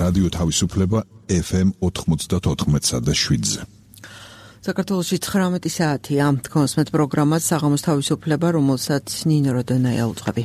რადიო თავისუფლება FM 94.7-ზე. საქართველოში 19 საათია. თქვენს მეტ პროგრამას საღამოს თავისუფლება, რომელსაც ნინო როდონაია უძღვები.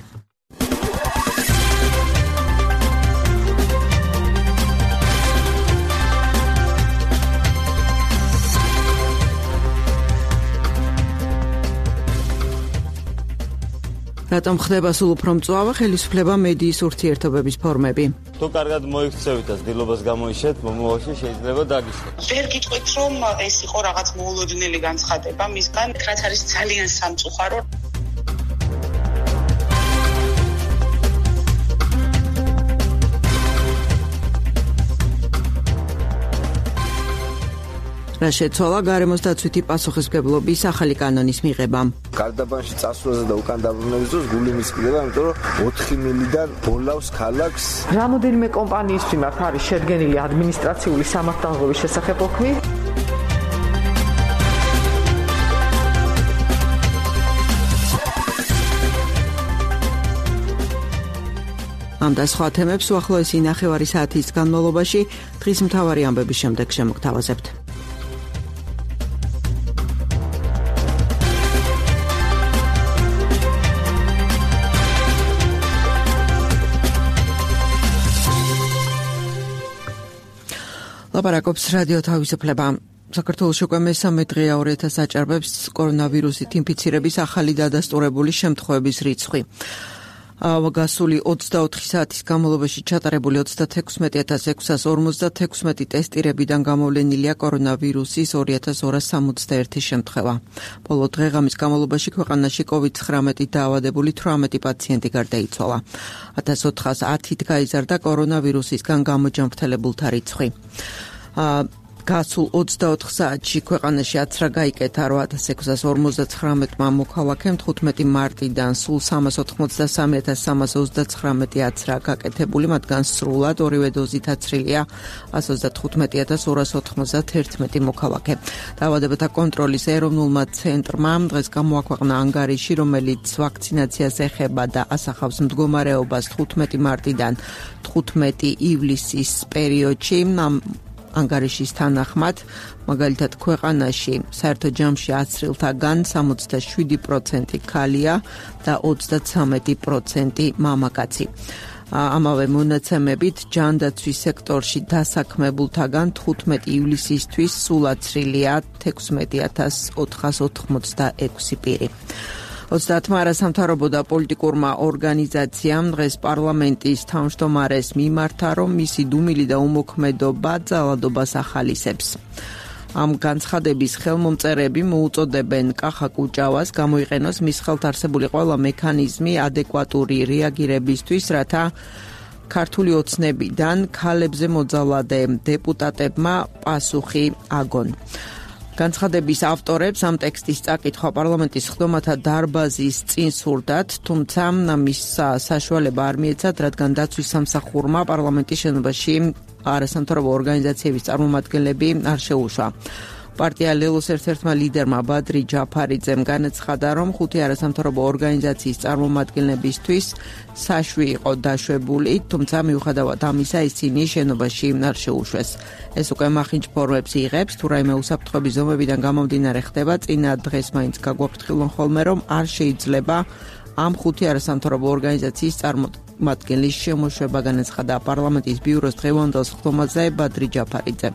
რატომ ხდება სულ უფრო მწვავე ხელისუფლება მედიის ურთიერთობების ფორმები? თუ კარგად მოიქცევით და ცდილობას გამოიშვეთ, მომავალში შეიძლება დაგიშვათ. ვერ გიტყვით, რომ ეს იყო რაღაც მოულოდნელი განცხადება მისგან, რაც არის ძალიან სამწუხარო. რა შეცვალა გარემოს დაცვითი პასუხისმგებლობის ახალი კანონის მიღებამ. გარდაბანში წასვლაზე და უკან დაბრუნების დროს გული მისკდება, იმიტომ რომ 4 მილიდან ბოლავს ქალაქს. რამოდენიმე კომპანიის მიმართ არის შედგენილი ადმინისტრაციული სამართალდღობის შესახებ ოქმი. ამ და სხვა თემებს უახლოესი ნახევარი საათის განმავლობაში დღის მთავარი ამბების შემდეგ შემოგთავაზებთ. ლაპარაკობს რადიო თავისუფლება. საქართველოში უკვე მესამე დღეა 2000 აჭარბებს კორონავირუსით ინფიცირების ახალი დადასტურებული შემთხვევების რიცხვი. გასული 24 საათის განმავლობაში ჩატარებული 36656 ტესტირებიდან გამოვლენილია კორონავირუსის 2261 შემთხვევა. ბოლო დღეღამის განმავლობაში ქვეყანაში COVID-19 დაავადებული 18 პაციენტი გარდაიცვალა. 1410-ით გაიზარდა კორონავირუსისგან გამოჯანმრთელებულთა რიცხვი. გასულ 24 საათში ქვეყანაში აცრა გაიკეთა 8659 მოქალაქემ 15 მარტიდან სულ 383329 აცრა გაკეთებული, მათგან სრულად ორივე დოზით აცრილია 130291 მოქალაქე. დაავადებათა კონტროლის ეროვნულმა ცენტრმა დღეს გამოაქვეყნა ანგარიში, რომელიც ვაქცინაციას ეხება და ასახავს მდგომარეობას 15 მარტიდან 15 ივლისის პერიოდში. ანგარიშის თანახმად, მაგალითად ქვეყანაში საერთო ჯამში აცრილთაგან 67% ქალია და 33% მამაკაცი. ამავე მონაცემებით ჯანდაცვის სექტორში დასაქმებულთაგან 15 ივლისისთვის სულ აცრილია 16486 პირი. 30 არასამთავრობო და პოლიტიკურმა ორგანიზაციამ დღეს პარლამენტის თავმჯდომარეს მიმართა, რომ მისი დუმილი და უმოქმედობა ძალადობას ახალისებს. ამ განცხადების ხელმომწერები მოუწოდებენ კახა კუჭავას გამოიყენოს მის ხელთ არსებული ყველა მექანიზმი ადეკვატური რეაგირებისთვის, რათა ქართული ოცნებიდან ქალებზე მოძალადე დეპუტატებმა პასუხი აგონ. განცხადების ავტორებს ამ ტექსტის წაკითხვა პარლამენტის ხდომათა დარბაზის წინ სურდათ, თუმცა მის საშუალება არ მიეცათ, რადგან დაცვის სამსახურმა პარლამენტის შენობაში არასამთავრობო ორგანიზაციების წარმომადგენლები არ შეუშვა. პარტია ლელოს ერთ-ერთმა ლიდერმა ბადრი ჯაფარიძემ განაცხადა, რომ 5 არასამთავრობო ორგანიზაციის წარმომადგენლებისთვის საშვი იყო დაშვებული, თუმცა მიუხედავად ამისა ისინი შენობაში არ შეუშვეს. ეს უკვე მახინჯ ფორმებს იღებს, თუ რაიმე უსაფრთხოების ზომებიდან გამომდინარე ხდება, წინა დღეს მაინც გაგვაფრთხილონ ხოლმე, რომ არ შეიძლება ამ 5 არასამთავრობო ორგანიზაციის წარმომადგენლის შემოშვება, განაცხადა პარლამენტის ბიუროს დღევანდელ ხდომაზე ბადრი ჯაფარიძე.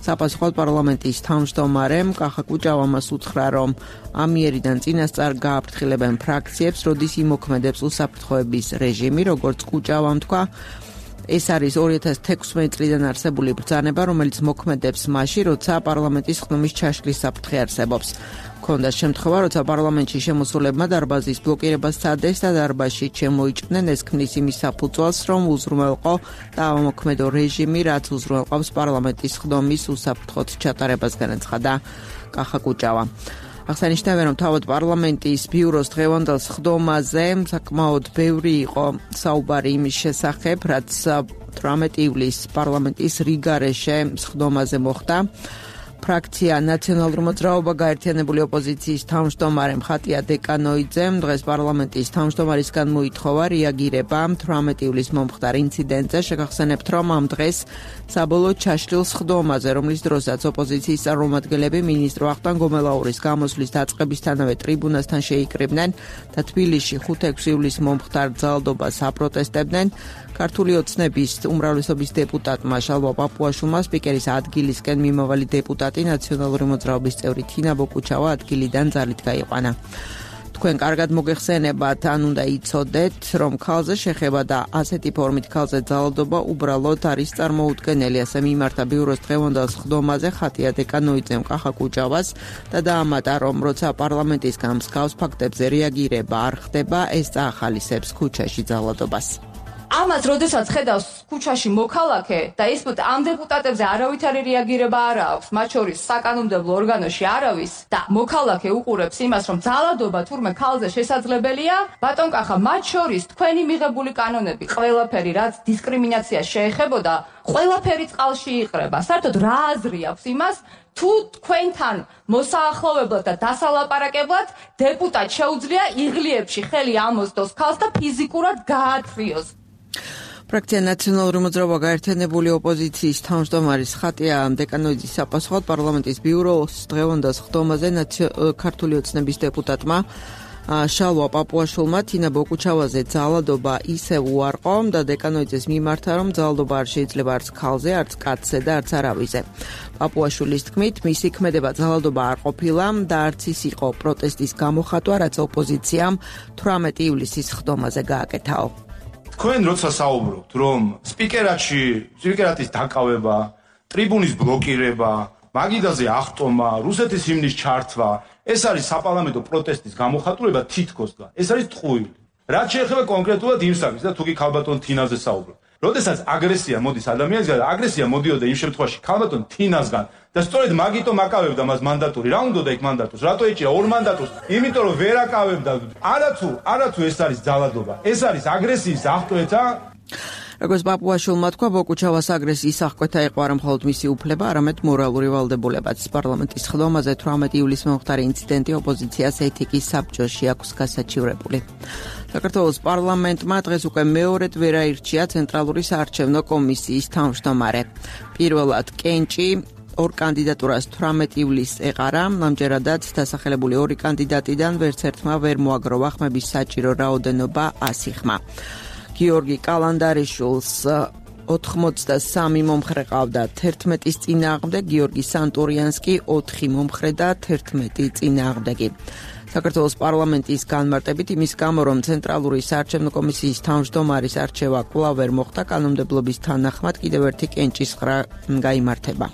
საპასუხოდ პარლამენტის თავმჯდომარემ კახა კუჭავამ უთხრა, რომ ამიერიდან წინასწარ გააფრთხილებენ ფრაქციებს, როდის იმოქმედებს უსაფრთხოების რეჟიმი, როგორც კუჭავამ თქვა. ეს არის 2016 წლიდან არსებული ბრძანება, რომელიც მოქმედებს მაშინ, როცა პარლამენტის ხდომის ჩაშლის საფრთხე არსებობს. ქონდა შემთხვევა, როცა პარლამენტში შემოსულებმა დარბაზის ბლოკირებას სცადეს და დარბაზში შემოიჭდნენ, ეს ქმნის იმის საფუძველს, რომ უზრუნველყო დაამოქმედო რეჟიმი, რაც უზრუნველყოფს პარლამენტის ხდომის უსაფრთხოდ ჩატარებას, განაცხადა კახა კუჭავა. აღსანიშნავია, რომ თავად პარლამენტის ბიუროს დღევანდელ ხდომაზე საკმაოდ ბევრი იყო საუბარი იმის შესახებ, რაც 18 ივლისს პარლამენტის რიგარეშე ხდომაზე მოხდა. ფრაქცია ნაციონალური მოძრაობა გაერთიანებული ოპოზიციის თავმჯდომარე ხატია დეკანოიძემ დღეს პარლამენტის თავმჯდომარისგან მოითხოვა რეაგირება 18 ივლისს მომხდარ ინციდენტზე. შეგახსენებთ, რომ ამ დღეს საბოლოოდ ჩაშლილ სხდომაზე, რომლის დროსაც ოპოზიციის წარმომადგენლები მინისტრო ვახტანგ გომელაურის გამოსვლის დაწყებისთანავე ტრიბუნასთან შეიკრიბნენ და თბილისში 5-6 ივლისს მომხდარ ძალადობას აპროტესტებდნენ. ქართული ოცნების უმრავლესობის დეპუტატმა შალვა პაპუაშვილმა სპიკერის ადგილისკენ მიმავალი დეპუტატი ნაციონალური მოძრაობის წევრი თინა ბოკუჩავა ადგილიდან ძალით გაიყვანა. თქვენ კარგად მოგეხსენებათ, ან უნდა იცოდეთ, რომ ქალზე შეხება და ასეთი ფორმით ქალზე ძალადობა უბრალოდ არის წარმოუდგენელი. ასე მიმართა ბიუროს დღევანდელ სხდომაზე ხატია დეკანოიძემ კახა კუჭავას და დაამატა, რომ როცა პარლამენტისგან მსგავს ფაქტებზე რეაგირება არ ხდება, ეს წაახალისებს ქუჩაში ძალადობას. ამას როდესაც ხედავს ქუჩაში მოქალაქე და ის ამ დეპუტატებზე არავითარი რეაგირება არ აქვს, მათ შორის საკანონმდებლო ორგანოში არავის და მოქალაქე უყურებს იმას, რომ ძალადობა თურმე ქალზე შესაძლებელია, ბატონ კახა, მათ შორის თქვენი მიღებული კანონები, ყველაფერი რაც დისკრიმინაციას შეეხებოდა, ყველაფერი წყალში იყრება. საერთოდ რა აზრი აქვს იმას, თუ თქვენთან მოსაახლოვებლად და დასალაპარაკებლად დეპუტატ შეუძლია იღლიებში ხელი ამოსდოს ქალს და ფიზიკურად გაათრიოს. ფრაქცია ნაციონალური მოძრაობა გაერთიანებული ოპოზიციის თავმჯდომარის ხატია დეკანოიძის საპასუხოდ პარლამენტის ბიუროს დღევანდელ სხდომაზე ქართული ოცნების დეპუტატმა შალვა პაპუაშვილმა თინა ბოკუჩავაზე ძალადობა ისევ უარყო და დეკანოიძეს მიმართა, რომ ძალადობა არ შეიძლება არც ქალზე, არც კაცზე და არც არავიზე. პაპუაშვილის თქმით, მისი ქმედება ძალადობა არ ყოფილა და არც ის იყო პროტესტის გამოხატვა, რაც ოპოზიციამ 18 ივლისის სხდომაზე გააკეთაო. თქვენ როცა საუბრობთ, რომ სპიკერატის დაკავება, ტრიბუნის ბლოკირება, მაგიდაზე აღტომა, რუსეთის ჰიმნის ჩართვა, ეს არის საპარლამენტო პროტესტის გამოხატულება თითქოსგან. ეს არის ტყუილი. რაც შეეხება კონკრეტულად იმ საკითხს და თუ კი ქალბატონ თინაზე საუბრობ. როდესაც აგრესია მოდის ადამიანისგან, აგრესია მოდიოდა იმ შემთხვევაში ქალბატონ თინასგან და სწორედ მაგიტომ აკავებდა მას მანდატური. რა უნდა იქ მანდატურს? რატო ეჭირა ორ მანდატურს? იმიტომ რომ ვერ აკავებდა. არათუ ეს არის ძალადობა. ეს არის აგრესიის აღკვეთა. როგორც პაპუაშვილმა თქვა, ბოკუჩავას აგრესიის აღკვეთა იყო არა მხოლოდ მისი უფლება, არამედ მორალური ვალდებულებაც. პარლამენტის სხდომაზე 18 ივლისს მომხდარი ინციდენტი ოპოზიციას ეთიკის საბჭოში აქვს გასაჩივრებული. საქართველოს პარლამენტმა დღეს უკვე მეორედ ვერ აირჩია ცენტრალური საარჩევნო კომისიის თავმჯდომარე. პირველად კენჭი ორ კანდიდატურას 18 ივლისს ეყარა, ამჯერადაც დასახელებული ორი კანდიდატიდან ვერც ერთმა ვერ მოაგროვა ხმების საჭირო რაოდენობა 100 ხმა. გიორგი კალანდარიშვილს 83 მომხრე ყავდა 11-ის წინააღმდეგ, გიორგი სანტურიანს კი 4 მომხრე და 11 წინააღმდეგი. საქართველოს პარლამენტის განმარტებით იმის გამო, რომ ცენტრალური საარჩევნო კომისიის თავმჯდომარის არჩევა კვლავ ვერ მოხდა, კანონმდებლობის თანახმად კიდევ ერთი კენჭის ღრა გაიმართება.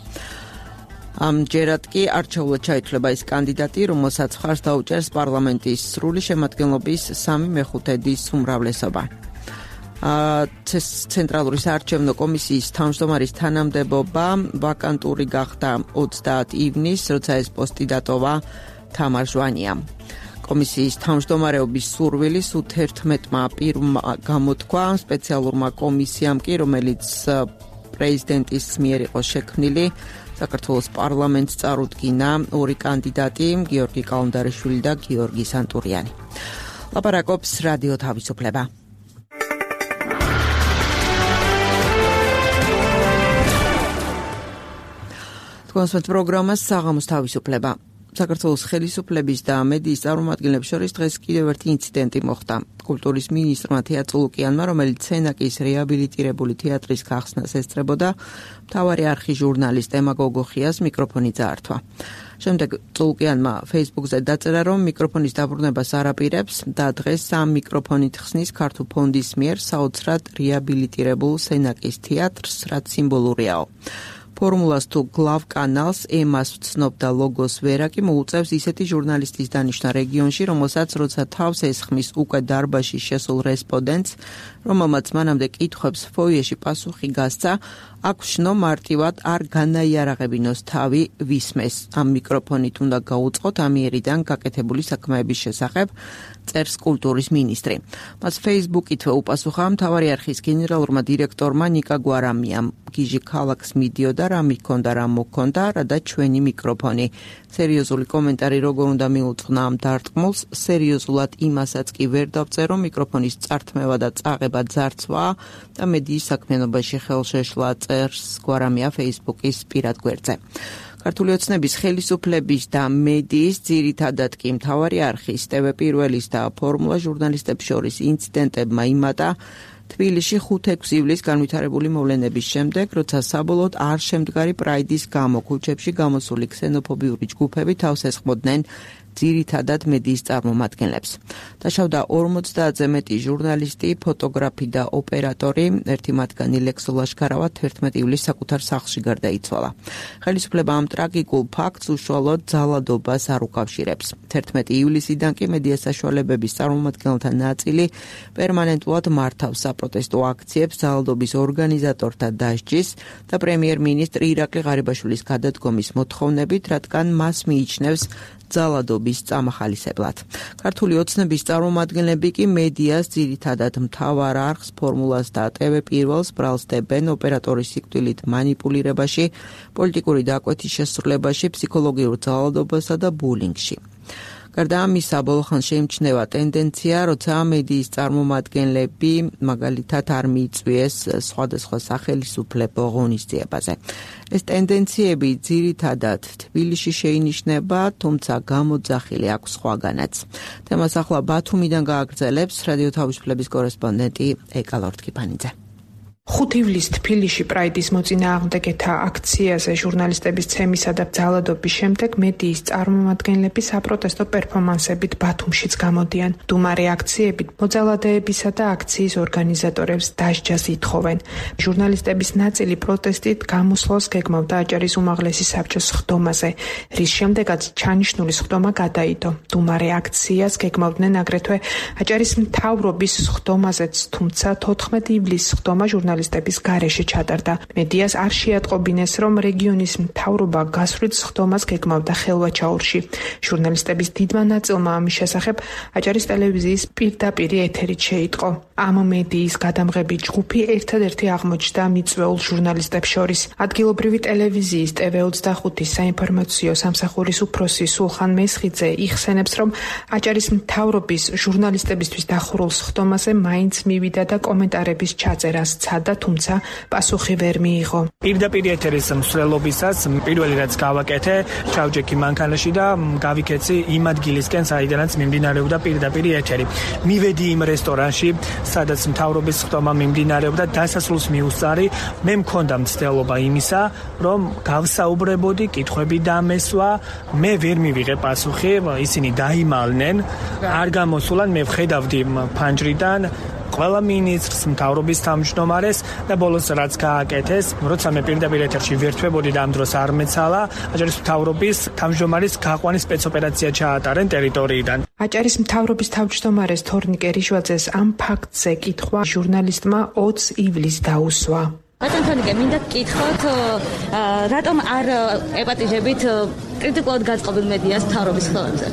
ამჯერად კი არჩეულად ჩაითვლება ის კანდიდატი, რომელსაც მხარს დაუჭერს პარლამენტის სრული შემადგენლობის 3/5 უმრავლესობა. ცენტრალური საარჩევნო კომისიის თავმჯდომარის თანამდებობა ვაკანტური გახდა 30 ივნისს, როცა ეს პოსტი დატოვა თამარ ჟვანიამ. კომისიის თავმჯდომარეობის სურვილის 11-მა პირმა გამოთქვა სპეციალურმა კომისიამ კი, რომელიც პრეზიდენტის მიერ იყო შექმნილი, საქართველოს პარლამენტს წარუდგინა ორი კანდიდატი, გიორგი კალანდარიშვილი და გიორგი სანტურიანი. ლაპარაკობს რადიო თავისუფლება. თქვენს პროგრამას საღამოს თავისუფლება. საქართველოს ხელისუფლების და მედიის წარმომადგენლებს შორის დღეს კიდევ ერთი ინციდენტი მოხდა. კულტურის მინისტრმა თეა წულუკიანმა, რომელიც სენაკის რეაბილიტირებული თეატრის გახსნას ესწრებოდა, მთავარი არხის ჟურნალისტ ემა გოგოხიას მიკროფონი წაართვა. შემდეგ წულუკიანმა Facebook-ზე დაწერა, რომ მიკროფონის დაბრუნებას არ აპირებს და დღეს ამ მიკროფონით ხსნის ქართულ ფონდის მიერ საოცრად რეაბილიტირებულ სენაკის თეატრს, რაც სიმბოლურიაო. ფორმულას თუ გლავ კანალს ემას ვცნობდა ლოგოს ვერაკი მოუწევს ისეთი ჟურნალისტის დანიშვნა რეგიონში, რომელსაც როცა თავს ესხმის უკვე დარბაზში შესულ რესპონდენტს, რომელმაც მანამდე კითხვებს ფოიეში პასუხი გასცა, აქ ვშნო მარტივად არ განაიარაღებინოს თავი ვისმეს. ამ მიკროფონით უნდა გაუწყოთ ამიერიდან გაკეთებული საქმეების შესახებ, წერს კულტურის მინისტრი. მას Facebook-ითვე უპასუხა მთავარი არხის გენერალურმა დირექტორმა ნიკა გვარამიამ. გიჟი ქალაქს მიდიოდა, რა მიქონდა, რა მოქონდა, რა და ჩვენი მიკროფონი. სერიოზული კომენტარი როგორ უნდა მიუძღვნა ამ დარტყმულს, სერიოზულად იმასაც კი ვერ დავწერო, მიკროფონის წართმევა და წაღება ძარცვა და მედიის საქმიანობაში ხელშეშლა, წერს გვარამია Facebook-ის პირად გვერდზე. ქართული ოცნების ხელისუფლების და მედიის ძირითადად კი მთავარი არხის, TV1-ის და ფორმულა ჟურნალისტებს შორის ინციდენტებმა იმატა თბილისში 5-6 ივლისს განვითარებული მოვლენების შემდეგ, როცა საბოლოოდ არ შემდგარი პრაიდის გამო ქუჩებში გამოსული ქსენოფობიური ჯგუფები თავს ესხმოდნენ ძირითადად მედიის წარმომადგენლებს. დაშავდა 50-ზე მეტი ჟურნალისტი, ფოტოგრაფი და ოპერატორი, ერთი მათგანი ლექსო ლაშქარავა 11 ივლისს საკუთარ სახლში გარდაიცვალა. ხელისუფლება ამ ტრაგიკულ ფაქტს უშუალოდ ძალადობას არ უკავშირებს. 11 ივლისიდან კი მედია საშუალებების წარმომადგენელთა ნაწილი პერმანენტულად მართავს საპროტესტო აქციებს ძალადობის ორგანიზატორთა დასჯის და პრემიერ-მინისტრ ირაკლი ღარიბაშვილის გადადგომის მოთხოვნებით, რადგან მას მიიჩნევს ძალადობის წამახალისებლად. ქართული ოცნების წარმომადგენლები კი მედიას ძირითადად მთავარ არხს, ფორმულას და TV1-ს ბრალსდებენ ოპერატორის სიკვდილით მანიპულირებაში, პოლიტიკური დაკვეთის შესრულებაში, ფსიქოლოგიურ ძალადობასა და ბულინგში. გარდა ამისა, ბოლო ხანს შეიმჩნევა ტენდენცია, როცა მედიის წარმომადგენლები მაგალითად არ მიიწვიეს სხვადასხვა სახელისუფლებო ღონისძიებაზე. ეს ტენდენციები ძირითადად თბილისში შეინიშნება, თუმცა გამოძახილი აქვს სხვაგანაც. თემას ახლა ბათუმიდან გააგრძელებს რადიო თავისუფლების კორესპონდენტი ეკა ლორთქიფანიძე. 5 ივლისს თბილისში პრაიდის მოწინააღმდეგეთა აქციაზე ჟურნალისტების ცემისა და ძალადობის შემდეგ მედიის წარმომადგენლები საპროტესტო პერფორმანსებით ბათუმშიც გამოდიან. მდუმარე აქციებით მოძალადეებისა და აქციის ორგანიზატორებს დასჯას ითხოვენ. ჟურნალისტების ნაწილი პროტესტით გამოსვლას გეგმავდა აჭარის უმაღლესი საბჭოს სხდომაზე, რის შემდეგაც ჩანიშნული სხდომა გადაიდო. მდუმარე აქციას გეგმავდნენ აგრეთვე აჭარის მთავრობის სხდომაზეც, თუმცა 14 ივლისს სხდომა ჟურნალისტების გარეშე ჩატარდა. მედიას არ შეატყობინეს, რომ რეგიონის მთავრობა გასვლით სხდომას გეგმავდა ხელვაჩაურში. ჟურნალისტების დიდმა ნაწილმა ამის შესახებ აჭარის ტელევიზიის პირდაპირ ეთერით შეიტყო. ამ მედიის გადამღები ჯგუფი ერთადერთი აღმოჩნდა მიწვეულ ჟურნალისტებს შორის. ადგილობრივი ტელევიზიის TV25 საინფორმაციო სამსახურის უფროსი სულხან მესხიძე იხსენებს, რომ აჭარის მთავრობის ჟურნალისტებისთვის დახურულ სხდომაზე მაინც მივიდა და კომენტარების ჩაწერას და თუმცა პასუხი ვერ მიიღო. პირდაპირ ეთერის მსვლელობისას პირველი რაც გავაკეთე, ჩავჯექი მანქანაში და გავიქეცი იმ ადგილისკენ, საიდანაც მიმდინარეობდა პირდაპირ ეთერი. მივედი იმ რესტორანში, სადაც მთავრობის სხდომა მიმდინარეობდა, დასასრულს მიუსწარი. მე მქონდა მცდელობა იმისა, რომ გავსაუბრებოდი, კითხვები დამესვა, მე ვერ მივიღე პასუხი, ისინი დაიმალნენ, არ გამოსულან, მე ვხედავდი ფანჯრიდან ყველა მინისტრს, მთავრობის თავმჯდომარეს და ბოლოს რაც გააკეთეს, როცა მე პირდაპირ ეთერში ვერთვებოდი და ამ დროს არ მეცალა, აჭარის მთავრობის თავმჯდომარის გაყვანის სპეცოპერაცია ჩაატარენ ტერიტორიიდან. აჭარის მთავრობის თავმჯდომარეს თორნიკე რიშვაძეს ამ ფაქტზე კითხვა ჟურნალისტმა 20 ივლისს დაუსვა. ბატონ თორნიკე, მინდა გკითხოთ, რატომ არ ეპატიჟებით კრიტიკულად გაწყობილ მედიას მთავრობის ხელებზე?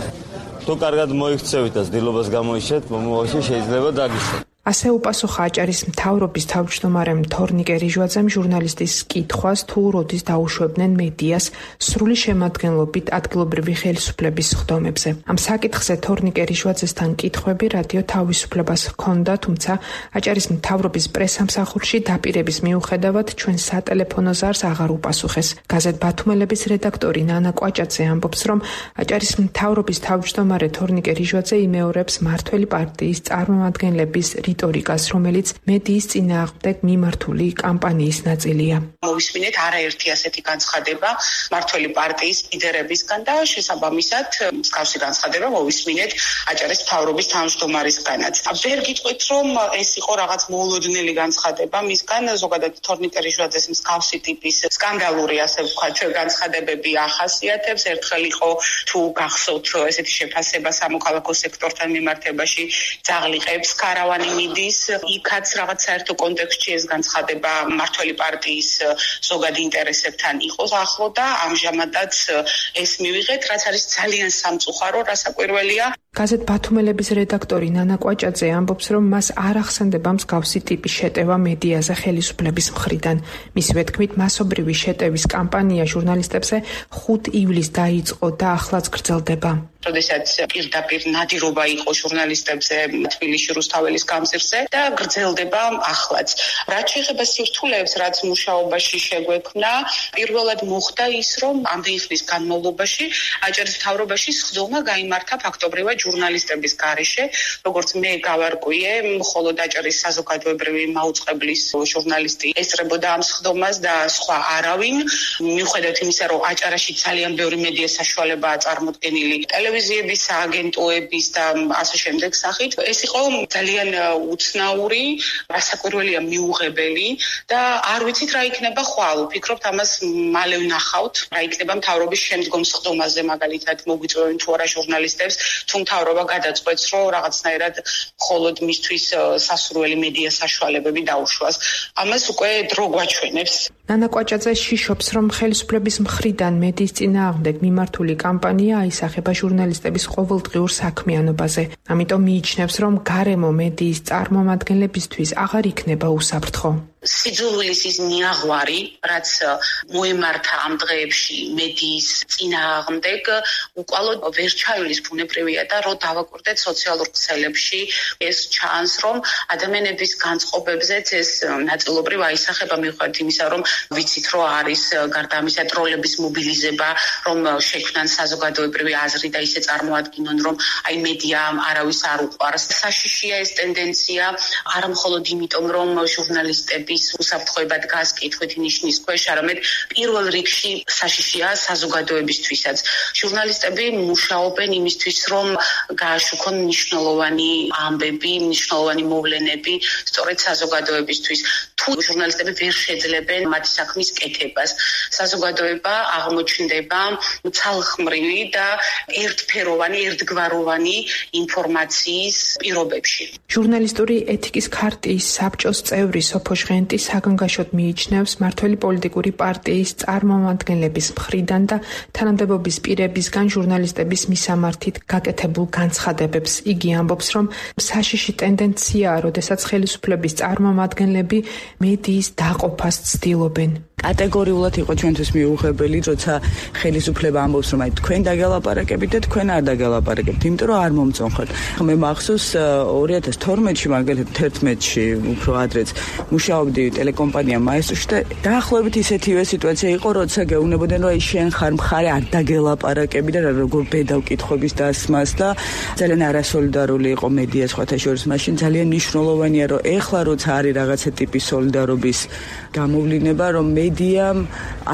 თუ კარგად მოიქცევით და ცდილობას გამოიშვეთ, მომავალში შეიძლება დაგიშვათ. ასე უპასუხა აჭარის მთავრობის თავმჯდომარემ თორნიკე რიშვაძემ ჟურნალისტის კითხვას, თუ როდის დაუშვებდნენ მედიას სრული შემადგენლობით ადგილობრივი ხელისუფლების სხდომებზე. ამ საკითხზე თორნიკე რიშვაძესთან კითხვები რადიო თავისუფლებას ჰქონდა, თუმცა აჭარის მთავრობის პრესამსახურში დაპირების მიუხედავად ჩვენ სატელეფონო ზარს აღარ უპასუხეს. გაზეთ ბათუმელების რედაქტორი ნანა კვაჭაძე ამბობს, რომ აჭარის მთავრობის თავმჯდომარე თორნიკე რიშვაძე იმეორებს მართველი პარტიის წარმომადგენლების რიტორიკას, რომელიც მედიის წინააღმდეგ მიმართული კამპანიის ნაწილია. მოვისმინეთ არაერთი ასეთი განცხადება მართველი პარტიის ლიდერებისგან და შესაბამისად მსგავსი განცხადება მოვისმინეთ აჭარის მთავრობის თავმჯდომარისგანაც. ვერ გიტყვით, რომ ეს იყო რაღაც მოულოდნელი განცხადება მისგან, ზოგადად თორნიკე რიშვაძეს მსგავსი ტიპის სკანდალური, ასე ვთქვათ, განცხადებები ახასიათებს. ერთხელ იყო, თუ გახსოვთ, ესეთი შეფასება სამოქალაქო სექტორთან მიმართებაში, ძაღლიყებს, ქარავანი მიდის, იქაც რაღაც საერთო კონტექსტში ეს განცხადება მმართველი პარტიის ზოგად ინტერესებთან იყოს ახლო და ამჟამადაც ეს მივიღეთ, რაც არის ძალიან სამწუხარო, რასაკვირველია. გაზეთ ბათუმელების რედაქტორი ნანა კვაჭაძე ამბობს, რომ მას არ ახსენდება მსგავსი ტიპის შეტევა მედიაზე ხელისუფლების მხრიდან. მისივე თქმით, მასობრივი შეტევის კამპანია ჟურნალისტებზე 5 ივლისს დაიწყო და ახლაც გრძელდება. როდესაც პირდაპირ ნადირობა იყო ჟურნალისტებზე თბილისში რუსთაველის გამზირზე და გრძელდება ახლაც. რაც შეეხება სირთულეებს, რაც მუშაობაში შეგვექმნა, პირველად მოხდა ის, რომ ამდენი ხნის განმავლობაში აჭარის მთავრობაში სხდომა გაიმართა ფაქტობრივად ჟურნალისტების გარეშე, როგორც მე გავარკვიე, მხოლოდ აჭარის საზოგადოებრივი მაუწყებლის ჟურნალისტი ესწრებოდა ამ სხდომას და სხვა არავინ. მიუხედავად იმისა, რომ აჭარაში ძალიან ბევრი მედია საშუალებაა წარმოდგენილი ტელევიზიების, აგენტოების და ასე შემდეგ სახით, ეს იყო ძალიან უცნაური, რასაკვირველია მიუღებელი და არ ვიცით რა იქნება ხვალ. ვფიქრობთ ამას მალე ვნახავთ, რა იქნება მთავრობის შემდგომ სხდომაზე, მაგალითად მოგვიწვევენ თუ არა ჟურნალისტებს, თუ მთავრობა გადაწყვეტს, რომ რაღაცნაირად მხოლოდ მისთვის სასურველი მედია საშუალებები დაუშვას. ამას უკვე დრო გვაჩვენებს. ნანა კვაჭაძე შიშობს, რომ ხელისუფლების მხრიდან მედიის წინააღმდეგ მიმართული კამპანია აისახება ჟურნალისტების ყოველდღიურ საქმიანობაზე. ამიტომ მიიჩნევს, რომ გარემო მედიის წარმომადგენლებისთვის აღარ იქნება უსაფრთხო. სიძულვილის ის ნიაღვარი, რაც მოემართა ამ დღეებში მედიის წინააღმდეგ, უკვალოდ ვერ ჩაივლის ბუნებრივია და რო დავაკვირდეთ სოციალურ ქსელებში, ეს ჩანს, რომ ადამიანების განწყობებზეც ეს ნაწილობრივ აისახება მიუხედავად იმისა, რომ ვიცით, რომ არის გარდა ამისა ტროლების მობილიზება, რომ შექმნან საზოგადოებრივი აზრი და ისე წარმოადგინონ, რომ აი მედია არავის არ უყვარს. საშიშია ეს ტენდენცია, არა მხოლოდ იმიტომ, რომ ჟურნალისტები უსაფრთხოება დგას კითხვით ნიშნის ქვეშ, არამედ პირველ რიგში საშიშია საზოგადოებისთვისაც. ჟურნალისტები მუშაობენ იმისთვის, რომ გააშუქონ მნიშვნელოვანი ამბები, მნიშვნელოვანი მოვლენები სწორედ საზოგადოებისთვის. თუ ჟურნალისტები ვერ შეძლებენ მათი საქმის კეთებას, საზოგადოება აღმოჩნდება ცალხმრივი და ერთფეროვანი, ერთგვაროვანი ინფორმაციის პირობებში. ჟურნალისტური ეთიკის ქარტიის საბჭოს წევრი სოფო ჟღენტი საგანგაშოდ მიიჩნევს მმართველი პოლიტიკური პარტიის წარმომადგენლების მხრიდან და თანამდებობის პირებისგან ჟურნალისტების მისამართით გაკეთებულ განცხადებებს. იგი ამბობს, რომ საშიში ტენდენციაა, როდესაც ხელისუფლების წარმომადგენლები მედიის დაყოფას ცდილობენ. კატეგორიულად იყო ჩვენთვის მიუღებელი, როცა ხელისუფლება ამბობს, რომ აი თქვენ დაგელაპარაკებით და თქვენ არ დაგელაპარაკებთ, იმიტომ რომ არ მომწონხოთ. მე მახსოვს 2012-ში, მაგალითად 11-ში, უფრო ადრეც მუშაობდი ტელეკომპანია მაესტროში და დაახლოებით ისეთივე სიტუაცია იყო, როცა გეუბნებოდნენ, რომ აი შენ ხარ მხარე არ დაგელაპარაკები და როგორ ბედავ კითხვების დასმას და ძალიან არასოლიდარული იყო მედია სხვათა შორის. მაშინ ძალიან მნიშვნელოვანია, რომ ეხლა როცა არის რაღაცა ტიპის სოლიდარობის გამოვლინება, რომ მედიამ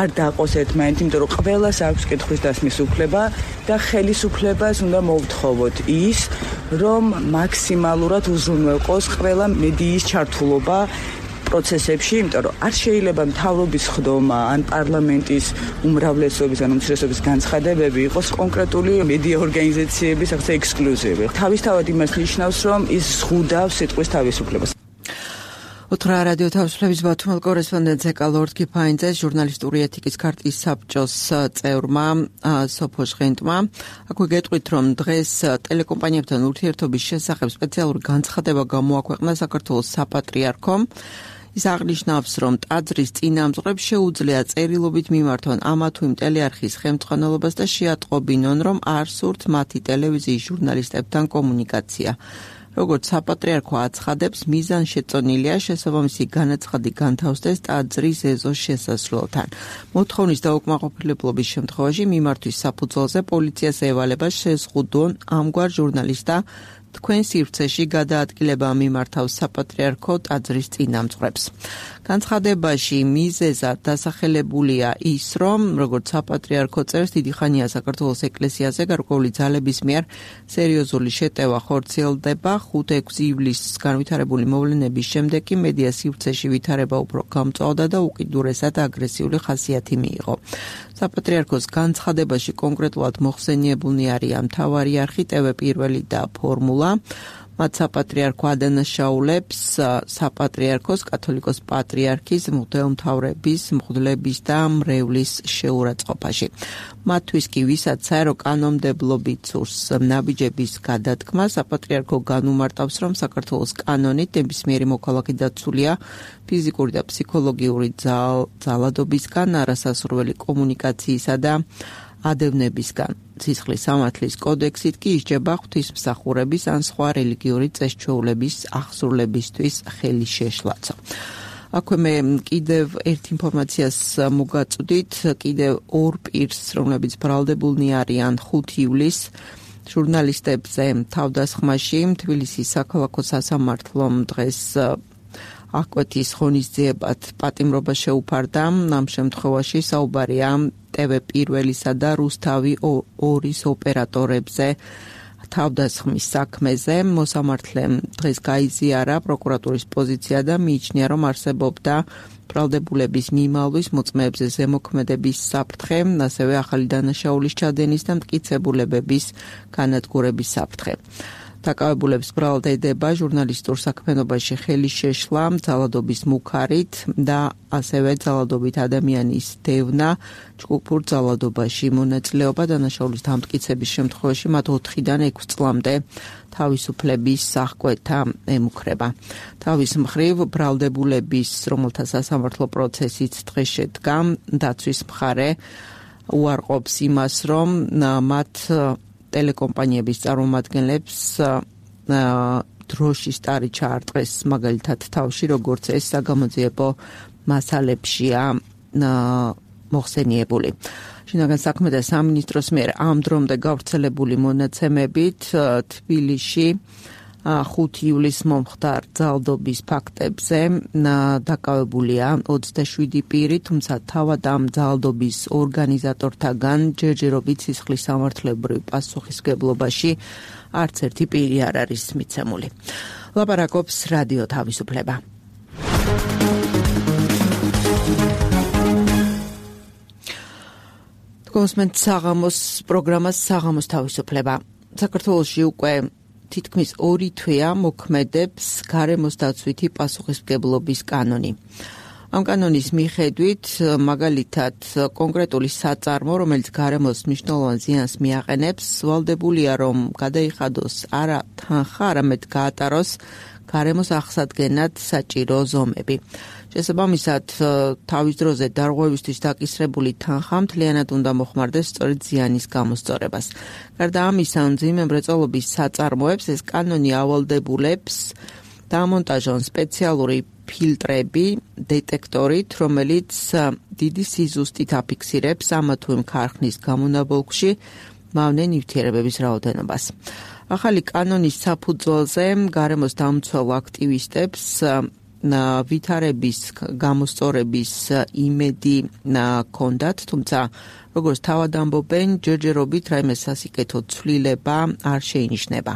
არ დაყოს ერთმანეთი, იმიტომ რომ ყველას აქვს კითხვის დასმის უფლება და ხელისუფლებას უნდა მოვთხოვოთ ის, რომ მაქსიმალურად უზრუნველყოს ყველა მედიის ჩართულობა პროცესებში, იმიტომ რომ არ შეიძლება მთავრობის ხდომა ან პარლამენტის უმრავლესობის ან უმცირესობის განცხადებები იყოს კონკრეტული მედია ორგანიზაციების ახლა ექსკლუზივი. თავისთავად იმას ნიშნავს, რომ ის ზღუდავს სიტყვის თავისუფლებას. ოთხრა რადიო თავისუფლების ბათუმელ კორესპონდენტ ზეკალორდ კიფაინძე ჟურნალისტური ეთიკის ქარტიის საბჭოს წევრმა სოფო ჟღენტმა აქვე გეტყვით, რომ დღეს ტელეკომპანიებთან ურთიერთობის შესახებ სპეციალური განცხადება გამოაქვეყნა საქართველოს საპატრიარქომ. ის აღნიშნავს, რომ ტაძრის წინამძღვრებს შეუძლია წერილობით მიმართონ ამა თუ იმ ტელეარხის ხელმძღვანელობას და შეატყობინონ, რომ არ სურთ მათი ტელევიზიის ჟურნალისტებთან კომუნიკაცია. როგორც საპატრიარქო აცხადებს, მიზანშეწონილია შესაბამისი განაცხადი განთავსდეს ტაძრის ეზოს შესასვლელთან. მოთხოვნის დაუკმაყოფილებლობის შემთხვევაში მიმართვის საფუძველზე პოლიციას ევალება შეზღუდონ ამგვარ ჟურნალისტთა თქვენ სივრცეში გადაადგილება მიმართავს საპატრიარქო ტაძრის წინამძღვრებს. განცხადებაში მიზეზად დასახელებულია ის, რომ როგორც საპატრიარქო წერს, დიდი ხანია საქართველოს ეკლესიაზე გარკვეული ძალების მიერ სერიოზული შეტევა ხორციელდება. 5-6 ივლისს განვითარებული მოვლენების შემდეგ კი მედია სივრცეში ვითარება უფრო გამწვავდა და უკიდურესად აგრესიული ხასიათი მიიღო. საპატრიარქოს განცხადებაში კონკრეტულად მოხსენიებულნი არიან მთავარი არხი, ტევ პირველი და ფორმულა. მათ საპატრიარქო ადანაშაულებს საპატრიარქოს კათოლიკოს პატრიარქის მღვდელმთავრების, მღვდლების და მრევლის შეურაცხყოფაში. მათთვის კი ვისაც საერო კანონმდებლობით სურს ნაბიჯების გადადგმა, საპატრიარქო განუმარტავს, რომ საქართველოს კანონით ნებისმიერი მოქალაქე დაცულია ფიზიკური და ფსიქოლოგიური ძალადობისგან, არასასურველი კომუნიკაციისა და ადევნებისგან. სისხლის სამართლის კოდექსით კი ისჯება ღვთისმსახურების ან სხვა რელიგიური წესჩვეულების აღსრულებისთვის ხელის შეშლაცვა. აქვე მე კიდევ ერთ ინფორმაციას მოგაწვდით, კიდევ ორ პირს, რომლებიც ბრალდებულნი არიან 5 ივლისს ჟურნალისტებზე თავდასხმაში, თბილისის საქალაქო სასამართლომ დღეს აკვეთის ღონისძიებად პატიმრობა შეუფარდა. ამ შემთხვევაში საუბარია TV პირველისა და რუსთავი 2-ის ოპერატორებზე თავდასხმის საქმეზე. მოსამართლემ დღეს გაიზიარა პროკურატურის პოზიცია და მიიჩნია, რომ არსებობდა ბრალდებულების მიმალვის მოწმეებზე ზემოქმედების საფრთხე, ასევე ახალი დანაშაულის ჩადენის და მტკიცებულებების განადგურების საფრთხე. დაკავებულებს ბრალდება ჟურნალისტურ საქმიანობაში ხელის შეშლა, ძალადობის მუქარით და ასევე ძალადობით ადამიანის დევნა, ჯგუფურ ძალადობაში მონაწილეობა, დანაშაულის დამტკიცების შემთხვევაში მათ 4-დან 6 წლამდე თავისუფლების აღკვეთა ემუქრება. თავის მხრივ ბრალდებულების, რომელთა სასამართლო პროცესიც დღეს შედგა, დაცვის მხარე უარყოფს იმას, რომ მათ ტელეკომპანიების წარმომადგენლებს დროშის ტარი ჩაარტყეს მაგალითად თავში, როგორც ეს საგამოძიებო მასალებშია მოხსენიებული. შინაგან საქმეთა სამინისტროს მიერ ამ დრომდე გავრცელებული მონაცემებით თბილისში 5 ივლისს მომხდარ ძალადობის ფაქტებზე დაკავებულია 27 პირი, თუმცა თავად ამ ძალადობის ორგანიზატორთაგან ჯერჯერობით სისხლის სამართლებრივ პასუხისმგებლობაში არც ერთი პირი არ არის მიცემული. ლაპარაკობს რადიო თავისუფლება. გოსმენთ საღამოს პროგრამას საღამოს თავისუფლება. საქართველოში უკვე თითქმის 2 თვეა მოქმედებს გარემოს დაცვითი პასუხისმგებლობის კანონი. ამ კანონის მიხედვით, მაგალითად, კონკრეტული საწარმო, რომელიც გარემოს მნიშვნელოვან ზიანს მიაყენებს, ვალდებულია, რომ გადაიხადოს არა თანხა, არამედ გაატაროს გარემოს აღსადგენად საჭირო ზომები. შესაბამისად, თავის დროზე დარღვევისთვის დაკისრებული თანხა მთლიანად უნდა მოხმარდეს სწორედ ზიანის გამოსწორებას. გარდა ამისა, მძიმე მრეწველობის საწარმოებს ეს კანონი ავალდებულებს დამონტაჟონ სპეციალური ფილტრები, დეტექტორით, რომელიც დიდი სიზუსტით აფიქსირებს ამა თუ იმ ქარხნის გამონაბოლქვში მავნე ნივთიერებების რაოდენობას. ახალი კანონის საფუძველზე გარემოს დამცველ აქტივისტებს ვითარების გამოსწორების იმედი ჰქონდათ, თუმცა როგორც თავად ამბობენ, ჯერჯერობით რაიმე სასიკეთო ცვლილება არ შეინიშნება.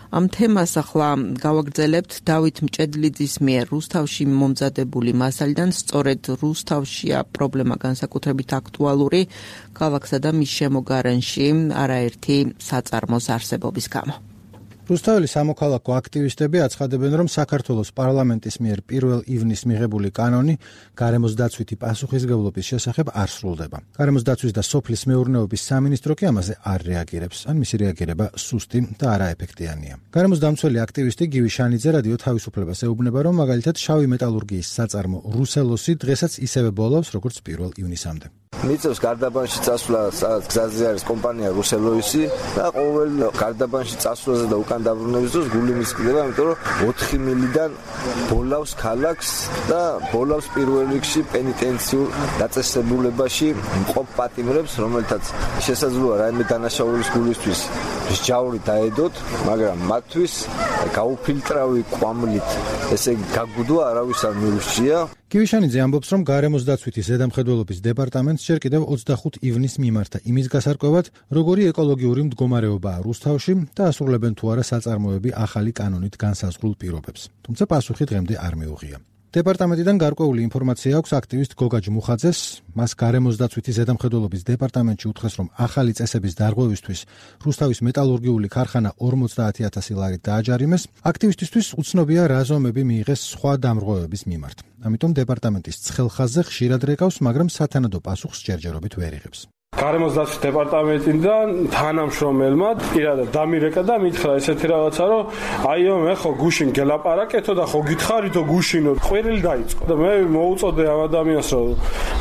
ამ თემას ახლა გავაგრძელებთ დავით მჭედლიძის მიერ რუსთავში მომზადებული მასალიდან. სწორედ რუსთავშია პრობლემა განსაკუთრებით აქტუალური ქალაქსა და მის შემოგარენში არაერთი საწარმოს არსებობის გამო. რუსთაველის სამოქალაქო აქტივისტები აცხადებენ, რომ საქართველოს პარლამენტის მიერ 1 ივნისს მიღებული კანონი გარემოს დაცვითი პასუხისმგებლობის შესახებ არ სრულდება. გარემოს დაცვის და სოფლის მეურნეობის სამინისტრო კი ამაზე არ რეაგირებს, ან მისი რეაგირება სუსტი და არაეფექტიანია. გარემოს დამცველი აქტივისტი გივი შანიძე რადიო თავისუფლებას ეუბნება, რომ მაგალითად შავი მეტალურგიის საწარმო რუსელოსი დღესაც ისევე ბოლობს, როგორც 1 ივნისამდე. მიწევს გარდაბანში წასვლა, სადაც გზაზე არის კომპანია რუსელოისი და ყოველ გარდაბანში წასვლაზე და უკან დაბრუნების დროს გული მისკდება, იმიტომ რომ 4 მილიდან ბოლავს ქალაქს და ბოლავს პირველ რიგში პენიტენციურ დაწესებულებაში მყოფ პატიმრებს, რომელთაც შესაძლოა რაიმე დანაშაულის გულისთვის მსჯავრი დაედოთ, მაგრამ მათთვის გაუფილტრავი კვამლით, ესე იგი გაგუდვა არავის არ მიურჩია. გივიშანიძე ამბობს, რომ გარემოს დაცვითი ზედამხედველობის დეპარტამენტს ჯერ კიდევ 25 ივნისს მიმართა იმის გასარკვევად, როგორი ეკოლოგიური მდგომარეობაა რუსთავში და ასრულებენ თუ არა საწარმოები ახალი კანონით განსაზღვრულ პირობებს. თუმცა პასუხი დღემდე არ მიუღია. დეპარტამენტიდან გარკვეული ინფორმაცია აქვს აქტივისტ გოგა ჯმუხაძეს. მას გარემოს დაცვითი ზედამხედველობის დეპარტამენტში უთხრეს, რომ ახალი წესების დარღვევისთვის რუსთავის მეტალურგიული ქარხანა 50,000 ლარით დააჯარიმეს. აქტივისტისთვის უცნობია რა ზომები მიიღეს სხვა დამრღვევების მიმართ. ამიტომ დეპარტამენტის ცხელხაზზე ხშირად რეკავს, მაგრამ სათანადო პასუხს ჯერჯერობით ვერ იღებს. გარემოს დაცვის დეპარტამენტიდან თანამშრომელმა პირადად დამირეკა და მითხრა ესეთი რაღაცა, რომ აიო მე ხო გუშინ გელაპარაკეთო და ხო გითხარითო გუშინო ყვირილი დაიწყო და მე მოუწოდე ამ ადამიანს,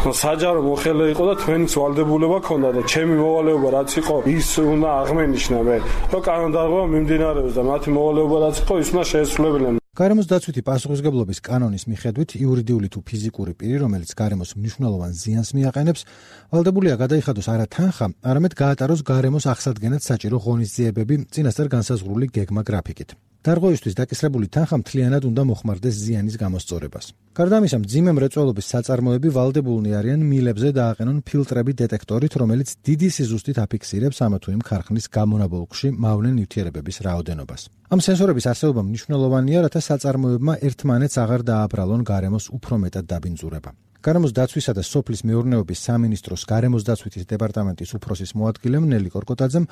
რომ საჯარო მოხელე იყო და თქვენიც ვალდებულება ქონდა და ჩემი მოვალეობა რაც იყო ის უნდა აღმენიშნა მე, რომ კანონდარღვევა მიმდინარეობს და მათი მოვალეობა რაც იყო ის უნდა შეესრულებინა. გარემოს დაცვითი პასუხისმგებლობის კანონის მიხედვით იურიდიული თუ ფიზიკური პირი, რომელიც გარემოს მნიშვნელოვან ზიანს მიაყენებს, ვალდებულია გადაიხადოს არა თანხა, არამედ გაატაროს გარემოს აღსადგენად საჭირო ღონისძიებები წინასწარ განსაზღვრული გეგმა გრაფიკით. დარღვევისთვის დაკისრებული თანხა მთლიანად უნდა მოხმარდეს ზიანის გამოსწორებას. გარდა ამისა, მძიმე მრეწველობის საწარმოები ვალდებულნი არიან მილებზე დააყენონ ფილტრები დეტექტორით, რომელიც დიდი სიზუსტით აფიქსირებს ამა თუ იმ ქარხნის გამონაბოლქვში მავნე ნივთიერებების რაოდენობას. ამ სენსორების არსებობა მნიშვნელოვანია, რათა საწარმოებმა ერთმანეთს აღარ დააბრალონ გარემოს უფრო მეტად დაბინძურება. გარემოს დაცვისა და სოფლის მეურნეობის სამინისტროს გარემოს დაცვითის დეპარტამენტის უფროსის მოადგილემ ნელი კორკოტაძემ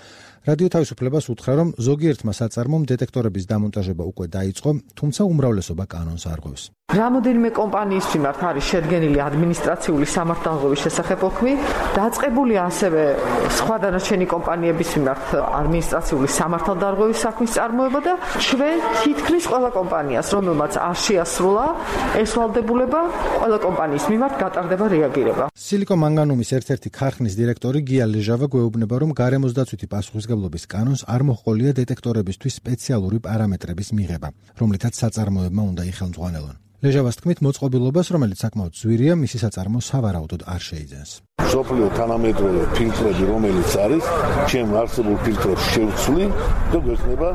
რადიო თავისუფლებას უთხრა, რომ ზოგიერთმა საწარმომ დეტექტორების დამონტაჟება უკვე დაიწყო, თუმცა უმრავლესობა კანონს არღვევს. რამოდენიმე კომპანიის მიმართ არის შედგენილი ადმინისტრაციული სამართალდღეობის შესახებ ოქმი, დაწყებულია ასევე სხვა დანარჩენი კომპანიების მიმართ ადმინისტრაციული სამართალდღეობის საქმის წარმოება და ჩვენ თითქმის ყველა კომპანიას, რომელმაც არ შეასრულა ეს ვალდებულება, ყველა კომპანიის მიმართ გატარდება რეაგირება. სილიკო მანგანუმის ერთ-ერთი ქარხნის დირექტორი გია ლეჟავა გვეუბნება, რომ გარემოს დაცვითი პასუხისმგებლობის კანონს არ მოჰყოლია დეტექტორებისთვის სპეციალური პარამეტრების მიღება, რომლითაც საწარმოებმა უნდა იხელმძღვანელონ. ლეჟავას თქმით, მოწყობილობას, რომელიც საკმაოდ ძვირია, მისი საწარმო სავარაუდოდ არ შეიძენს. სოფლიო თანამედროვე ფილტრები, რომელიც არის, ჩემ არსებულ ფილტრებს შევცვლი და გვექნება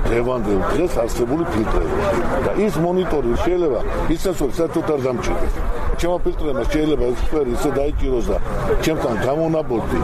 დღევანდელ დღეს არსებული ფილტრები. და ის მონიტორი შეიძლება ის სენსორი საერთოდ არ დამჭირდეს. ჩემო ფილტრებმა შეიძლება ეს სფერი ისე დაიჭიროს და ჩემთან გამონაბოლქვი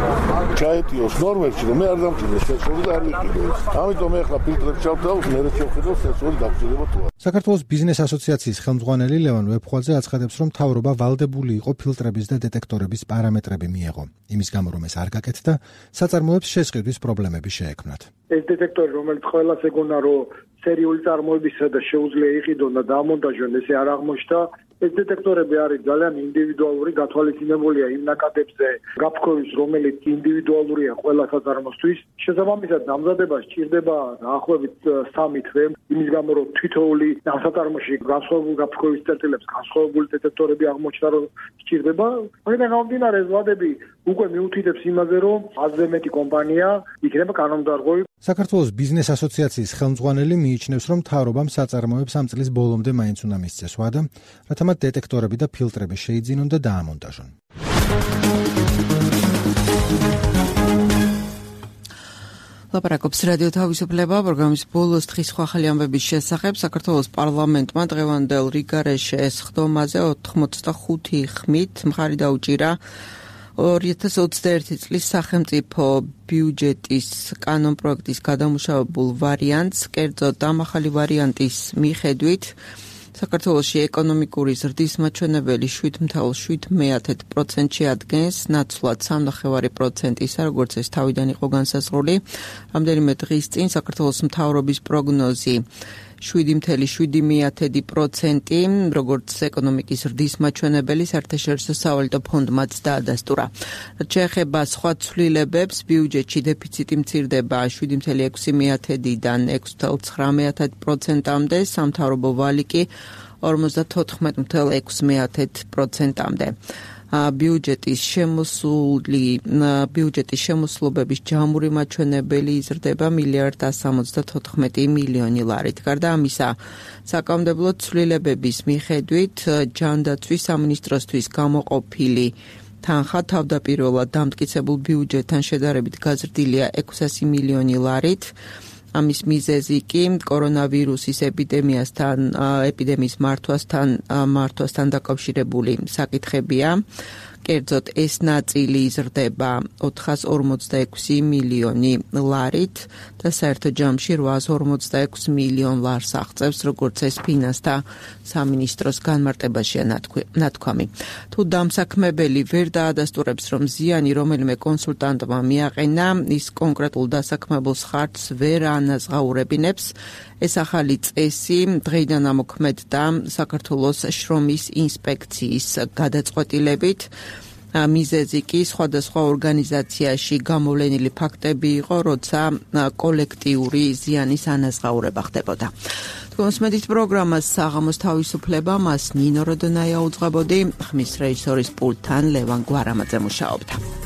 ჩაეტიოს ნორმებში, რომ მე არ დამჭირდეს სენსორი და არ ვიყიდოს. ამიტომ ეხლა ფილტრებს ჩავთავ, მე შევხედავ სენსორი დაგჭირდება თუ არა. საქართველოს ბიზნეს ასოციაციის ხელმძღვანელი ლევან ვეფხვაძე აცხადებს, რომ მთავრობა ვალდებული იყო ფილტრების და დეტექტორების პარამეტრები მიეღო, იმის გამო რომ ეს არ გაკეთდა, საწარმოებს შესყიდვის პრობლემები შეექმნათ. ეს დეტექტორი, რომელიც ყველას ეგონა, რომ სერიული წარმოებისა და შეუძლია იყიდონ და დამონტაჟონ, ესე არ აღმოჩნდა. ეს დეტექტორები არის ძალიან ინდივიდუალური, გათვალისწინებულია იმ ნაკადებზე გაფრქვევის, რომელიც ინდივიდუალურია ყველა საწარმოსთვის. შესაბამისად, დამზადება სჭირდება დაახლოებით 3 თვე, იმის გამო რომ თითოეული საწარმოში განსხვავებული გაფრქვევის წერტილებს, განსხვავებული დეტექტორები აღმოჩნდა, რომ სჭირდება. მაგიდან გამომდინარე, ეს ვადები უკვე მიუთითებს იმაზე, რომ აზრზე მეტი კომპანია იქნება კანონდარღვევი. საქართველოს ბიზნეს ასოციაციის ხელმძღვანელი მიიჩნევს, რომ მთავრობამ საწარმოებს ამ წლის ბოლომდე მაინც უნდა მისცეს ვადა, რათა მათ დეტექტორები და ფილტრები შეიძინონ და დაამონტაჟონ. ლაპარაკობს რადიო თავისუფლება პროგრამის ბოლოს დღის სხვა ახალი ამბების შესახებ. საქართველოს პარლამენტმა დღევანდელ რიგარეშე სხდომაზე 85 ხმით მხარი დაუჭირა 2021 წლის სახელმწიფო ბიუჯეტის კანონპროექტის გადამუშავებულ ვარიანტს, კერძოდ ამ ახალი ვარიანტის მიხედვით საქართველოში ეკონომიკური ზრდის მაჩვენებელი 7.7%-ში ადგენს, ნაცვლად 3.5% ისა, როგორც ეს თავიდან იყო განსაზღვრული. რამდენიმე დღის წინ საქართველოს მთავრობის პროგნოზი 7.7%, როგორც ეკონომიკის ზრდის მაჩვენებელი საერთაშორისო სავალუტო ფონდმაც დაადასტურა. რაც შეეხება სხვა ცვლილებებს, ბიუჯეტში დეფიციტი მცირდება 7.6%-დან 6.9%-მდე, სამთავრობო ვალი კი 54.6%-მდე. ბიუჯეტის შემოსულობის ჯამური მაჩვენებელი იზრდება 1.174 მილიონი ლარით. გარდა ამისა, საკანონმდებლო ცვლილებების მიხედვით ჯანდაცვის სამინისტროსთვის გამოყოფილი თანხა თავდაპირველად დამტკიცებულ ბიუჯეტთან შედარებით გაზრდილია 600 მილიონი ლარით. ამის მიზეზი კი კორონავირუსის ეპიდემიის მართვასთან დაკავშირებული საკითხებია. კერძოდ ეს ნაწილი იზრდება 446 მილიონი ლარით და საერთო ჯამში 846 მილიონ ლარს აღწევს, როგორც ეს ფინანსთა სამინისტროს განმარტებაშია ნათქვამი. თუ დამსაქმებელი ვერ დაადასტურებს, რომ ზიანი რომელიმე კონსულტანტმა მიაყენა, ის კონკრეტულ დასაქმებულს ხარჯს ვერ ანაზღაურებინებს. ეს ახალი წესი დღეიდან ამოქმედდა საქართველოს შრომის ინსპექციის გადაწყვეტილებით. მიზეზი კი სხვადასხვა ორგანიზაციაში გამოვლენილი ფაქტები იყო, როცა კოლექტიური ზიანის ანაზღაურება ხდებოდა. თქვენს მედით პროგრამას საღამოს თავისუფლება, მას ნინო როდონაია უძღვებოდი, ხმის რეჟისორის პულტთან ლევან გვარამაძე მუშაობდა.